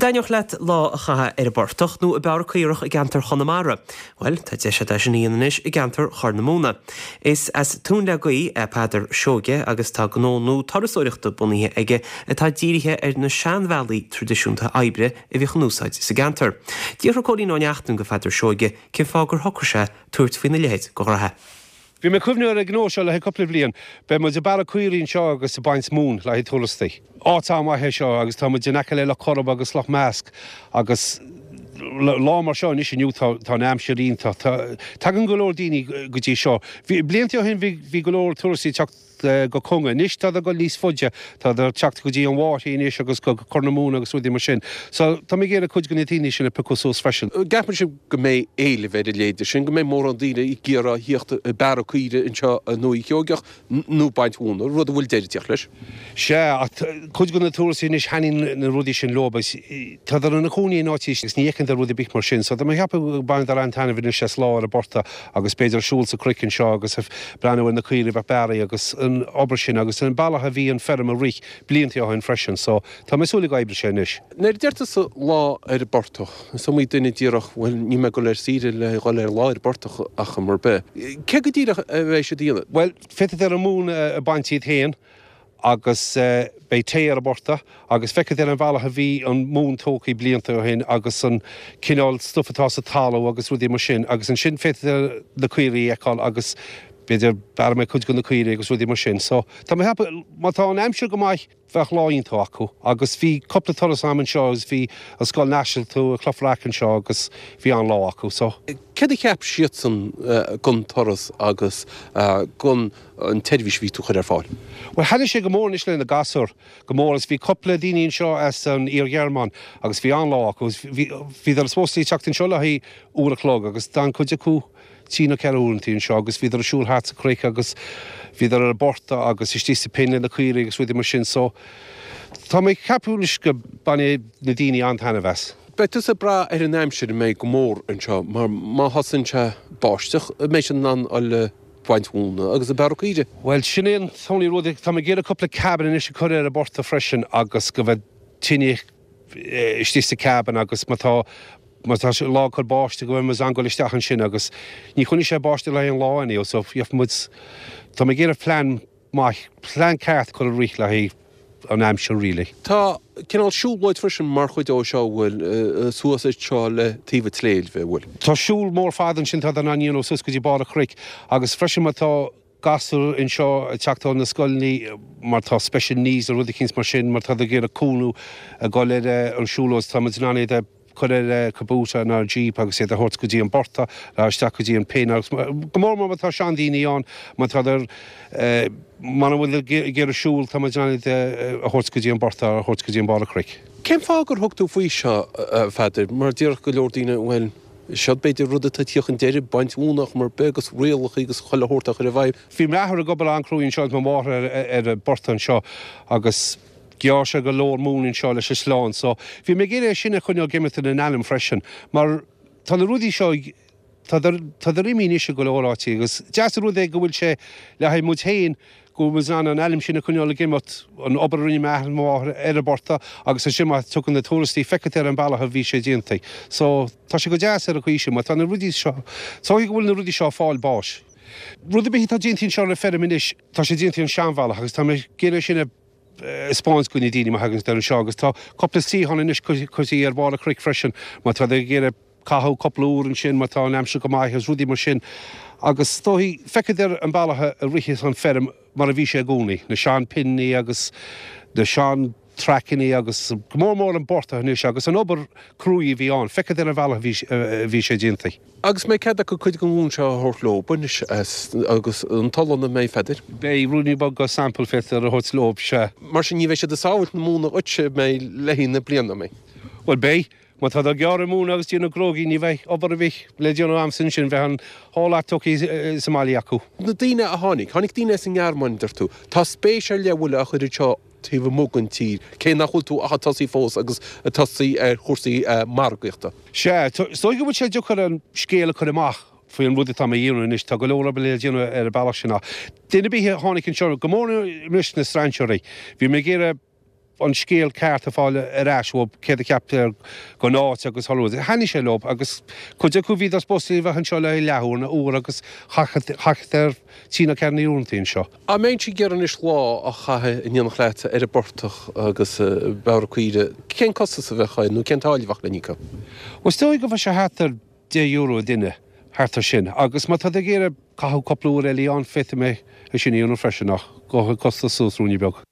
An dtaitneodh leat lá a chaitheamh ar an bportach nó ag bearradh caorach i gceantar Chonamara? Bhuel, tá deis agat é sin a dhéanamh anois i gceantar Chorr na Móna. Is as Tóin le Gaoith é Peadar Seoige agus tá gnó nua turasóireachta bunaithe aige atá dírithe ar na seanbhealaí traidisiúnta oibre a bhíodh in úsáid sa gceantar. D'fhiafraigh Cóilín Ó Neachtain de Pheadar Seoige cén fáth gur shocraigh sé tabhairt faoina leithéid de ghraithe. Bhí mé ag cuimhneamh ar an ghnó seo le haghaidh cúpla bliain. Beidh muid ag bearradh caoirigh anseo agus ag baint móin le haghaidh turastaí. Áit an-mhaith é seo agus tá muid in aice le Loch Coirib agus Loch Measc agus lá mar seo anois inniu tá tá an aimsir iontach. Tá tagann go leor daoine go dtí seo. Bhí blianta ó shin bhí bhí go leor turastaí ag teacht go Conga. Anois tá ag dul níos faide, tá ag teacht go dtí an Mháthair anois agus go Corr na Móna agus rudaí mar sin. So tá mé ag iarraidh cuid de na daoine sin a piocadh suas freisin. An gceapann sibh go mbeidh éileamh ar a leithéid sin, go mbeidh mórán daoine ag iarraidh a thíocht ag bearradh caoire anseo i nDúiche Sheoigeach nó baint mhóna, rud a bhfuil deireadh ag tíocht leis? Sea, ach cuid de na turastaí anois thaitníonn na rudaí sin leo agus tádar ina cónaí in áit agus ní fheiceann siad rud ar bith mar sin. So tá mé ag ceapadh go mbainfeadar an-taitneamh anois as lá ar an bportach agus b'fhéidir siúl sa chnoic anseo agus breathnú ar na caoirigh a bheith bearraithe agus an obair sin agus an bealach a bhí an feirm ag rith blianta ó shin freisin so tá mé ag súil go oibreoidh sé anois. Nuair a deir tusa lá ar an bportach, is iomaí duine díreach, bhuel níl mé ag dul ar saoire le dhul ar lá ar an bportach ach am ar bith. Cé go díreach a bheidh siad a dhéanamh? Bhuel, féadfaidh an mhóin a baint iad féin agus beidh tae ar an bportach agus feicfidh ar an bhealach a bhí an mhóin tógtha blianta ó shin agus an cineál stuif atá sa talamh agus rudaí mar sin agus ansin féadfaidh na caoirigh a fheiceáil agus b'fhéidir bearrfaidh mé cuid de na caoirigh agus rudaí mar sin. So tá mé ag ceapadh má tá an aimsir go maith bheadh lá iontach acu agus bhí cúpla turas a'm anseo agus bhí an Scoil Náisiúnta i Cloich Bhreac anseo agus bhí an-lá acu. So. Céard a cheap siadsan gon turas agus gon an tseirbhís a bhí tú a chur ar fáil? Bhuel, thaitnigh sé go mór anois le na gasúir, go mór, agus bhí cúpla daoine anseo as an Iar-Ghearmáin agus bhí an-lá acu agus bhí, bhíodar supposed to teacht anseo le haghaidh uair a chlog agus d'fhan cuid acu trí nó ceithre uaireantaí anseo agus bhíodar ag siúl thart sa chnoic agus bhíodar ar an bportach agus istigh sa pin le na caoirigh agus rudaí mar sin so tá mé ag ceapadh anois go bainfidh na daoine an-taitneamh as. Beidh tusa ag brath ar an aimsir an mbeidh go mór anseo mar má thosaíonn sé báisteach an mbeidh siad in ann a dhul baint mhóna agus ag bearradh caoirigh. Bhuel, sin é an t-only rud, tá mé ag iarraidh cúpla cabin anois a chur ar an bportach freisin agus go mbeidh tine istigh sa cabin agus má tá, má tá sé lá ag cur báistí go mbeidh muid in ann dul isteach ansin agus ní choinneoidh sé báisteach le haghaidh an lá anyhow so gheobhaidh muid, tá mé ag iarraidh plean maith, plean ceart a chur i rith le haghaidh an aimsir really. Tá cineál siúlóid freisin mar chuid ó seo, an bhfuil, suas anseo le taobh an tsléibhe, an bhfuil? Tá siúl mór fada ansin atá in ann a dhéanamh suas go dtí barr an chnoic agus freisin má tá gasúir anseo ag teacht ó na scoileanna mar tá special needs nó rud eicínt mar sin má tá ag iarraidh cúnamh a dhul ar an siúlóid tá muid in ann iad a chur ar Kubota nó ar Jeep agus iad a thabhairt go dtí an portach nó isteach go dtí an pin agus go mór mór má tá seandaoine ann má tá muna bhfuil ag iarraidh siúl tá muid in ann iad a thabhairt go dtí an portach a thabhairt go dtí an barr an chnoic. Cén fáth gur thug tú faoi seo, a Pheadair? Mar déarfadh go leor daoine, bhuel, seo b'fhéidir rud atá ag tíocht chun deiridh, baint mhóna ach mar bith agus rialacha agus chuile shórt á chur i bhfeidhm. Bhí m'athair ag obair an-chruaidh anseo agus mo mháthair ar an bportach anseo agus Ghearr sé go leor móin anseo leis an sleán so bhí mé ag iarraidh é sin a choinneáil ag imeacht ina n-ainm freisin mar tá na rudaí seo ag, tádar imithe anois i go leor áiteacha agus deas an rud é go bhfuil sé le haghaidh muid féin go bhfuil muid in ann an ainm sin a choinneáil ag imeacht, an obair a rinne m'athair is mo mháthair ar an bportach agus ansin má tugann na tuarastaí feicfidh ar an bealach a bhí sé déanta. So tá sé go deas ar an chaoi sin mar tá na rudaí seo, is dóigh go bhfuil na rudaí seo ag fáil báis. Rud ar bith atá déanta anseo ar an feirm anois tá sé déanta an seanbhealach agus tá mé ag iarraidh sin a 'spáint do na daoine má thagann siad anseo agus tá cúpla suíochán anois curtha ar bharr an chnoic freisin má tá ag iarraidh caitheamh cúpla uair ansin má tá an aimsir go maith agus rudaí mar sin agus is dóigh feicfidh ar an bealach a ritheas an feirm mar a bhí sé i gcónaí, na sean pinní agus na sean traiceanna agus go mór mór an portach anois agus an obair cruaidh a bhí ann, feicfidh ar an bhealach a bhí sé déanta. Agus mbeidh cead acu cuid den mhóin seo a thabhairt leo anois agus an t-olann an mbeidh, a Pheadair? Beidh ruainnín beag de sample féadfaidh a thabhairt leo, sea. Mar sin ní bheidh siad ag sábhailt na móna dhuitse an mbeidh le haghaidh na bliana, an mbeidh? Bhuel beidh. Má tá ag gearradh móna agus déanamh crógaí ní bheidh obair ar bith le déanamh a'msa ansin, bheadh an whole lot tugtha sa mbaile acu. Na daoine a tháinig, tháinig daoine as an nGearmáin, deir tú. Tá spéis ar leith an bhfuil á chur anseo taobh amuigh den tír, cé nach bhfuil tú ach ag tosaí fós agus ag tosaí ar chúrsaí margaíochta. Sea, is dóigh go bhfuil sé deacair an scéal a chur amach faoi an rud atá mé a dhéanamh anois, tá go leor obair le déanamh ar an bealach sin ach duine ar bith a tháinig anseo, go mór anois na strainséirí, bhí mé ag iarraidh. an scéal ceart a fáil ar ais uathu, céard a cheap gon áit agus chuile rud. Thaitnigh sé leo agus cuid acu bhíodar supposed a bheith anseo le haghaidh leathuair nó uair agus chaitheadar trí nó ceathair uaireanta anseo. Dá mbeinnse ag iarraidh anois lá a chaitheamh in éineacht leat ar an bportach agus i mBeára Caoire, cén costas a bheadh air nó cén táille a bheadh le n-íoc? Bhuel, is dóigh go bheadh sé thart ar €10 an duine, thart ar sin. Agus má tá tú ag iarraidh caitheamh cúpla uair eile ann, féadfaidh mé é sin a dhéanamh freisin ach gabhfaidh an costas suas ruainne beag.